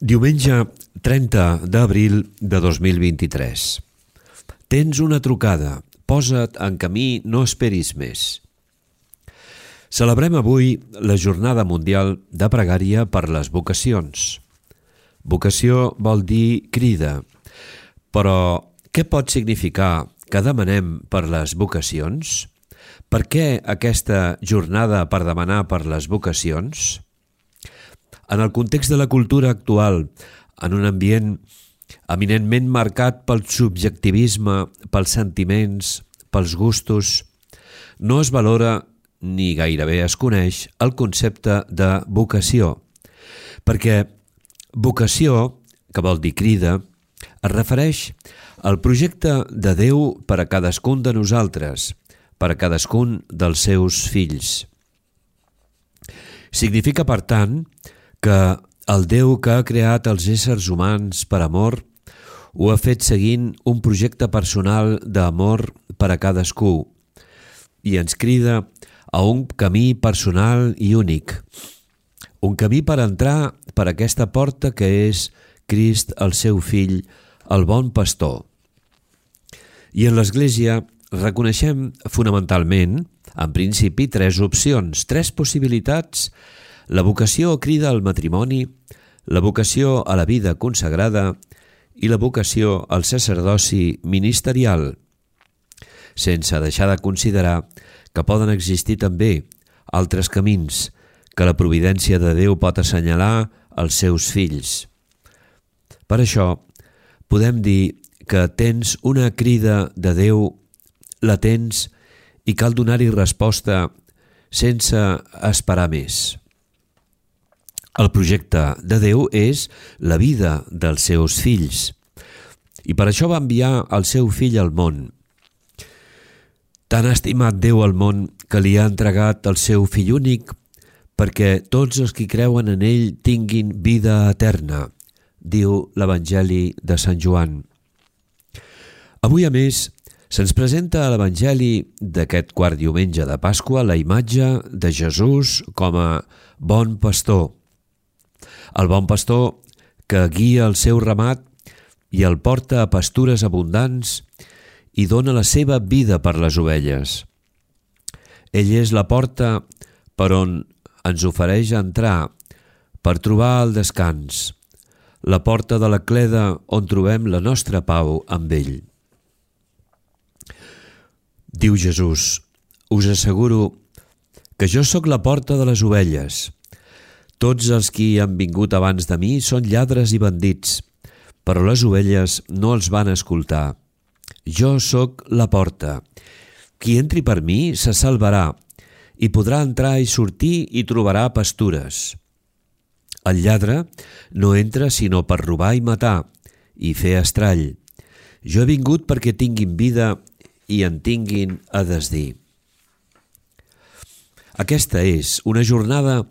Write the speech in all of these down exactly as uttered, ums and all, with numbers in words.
Diumenge trenta d'abril de dos mil vint-i-tres. Tens una trucada. Posa't en camí, no esperis més. Celebrem avui la Jornada Mundial de Pregària per les Vocacions. Vocació vol dir crida. Però què pot significar que demanem per les vocacions? Per què aquesta jornada per demanar per les vocacions? En el context de la cultura actual, en un ambient eminentment marcat pel subjectivisme, pels sentiments, pels gustos, no es valora ni gairebé es coneix el concepte de vocació, perquè vocació, que vol dir crida, es refereix al projecte de Déu per a cadascun de nosaltres, per a cadascun dels seus fills. Significa, per tant, que el Déu que ha creat els éssers humans per amor ho ha fet seguint un projecte personal d'amor per a cadascú i ens crida a un camí personal i únic, un camí per entrar per aquesta porta que és Crist, el seu fill, el bon pastor. I en l'Església reconeixem fonamentalment, en principi, tres opcions, tres possibilitats: la vocació crida al matrimoni, la vocació a la vida consagrada i la vocació al sacerdoci ministerial, sense deixar de considerar que poden existir també altres camins que la providència de Déu pot assenyalar als seus fills. Per això, podem dir que tens una crida de Déu, la tens i cal donar-hi resposta sense esperar més. El projecte de Déu és la vida dels seus fills i per això va enviar el seu fill al món. Tan ha estimat Déu al món que li ha entregat el seu fill únic perquè tots els que creuen en ell tinguin vida eterna, diu l'Evangeli de Sant Joan. Avui, a més, se'ns presenta a l'Evangeli d'aquest quart diumenge de Pasqua la imatge de Jesús com a bon pastor. El bon pastor que guia el seu ramat i el porta a pastures abundants i dona la seva vida per les ovelles. Ell és la porta per on ens ofereix entrar per trobar el descans, la porta de la cleda on trobem la nostra pau amb ell. Diu Jesús: us asseguro que jo sóc la porta de les ovelles. Tots els qui han vingut abans de mi són lladres i bandits, però les ovelles no els van escoltar. Jo sóc la porta. Qui entri per mi se salvarà i podrà entrar i sortir i trobarà pastures. El lladre no entra sinó per robar i matar i fer estrall. Jo he vingut perquè tinguin vida i en tinguin a desdir. Aquesta és una jornada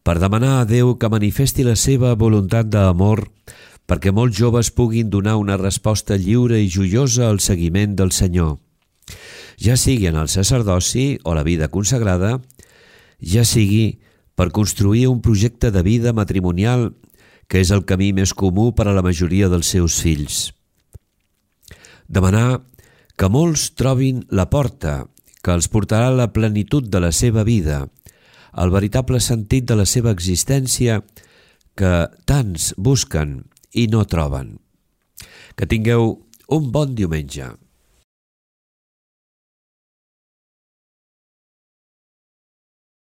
per demanar a Déu que manifesti la seva voluntat d'amor perquè molts joves puguin donar una resposta lliure i joiosa al seguiment del Senyor, ja sigui en el sacerdoci o la vida consagrada, ja sigui per construir un projecte de vida matrimonial que és el camí més comú per a la majoria dels seus fills. Demanar que molts trobin la porta que els portarà a la plenitud de la seva vida, el veritable sentit de la seva existència que tants busquen i no troben. Que tingueu un bon diumenge.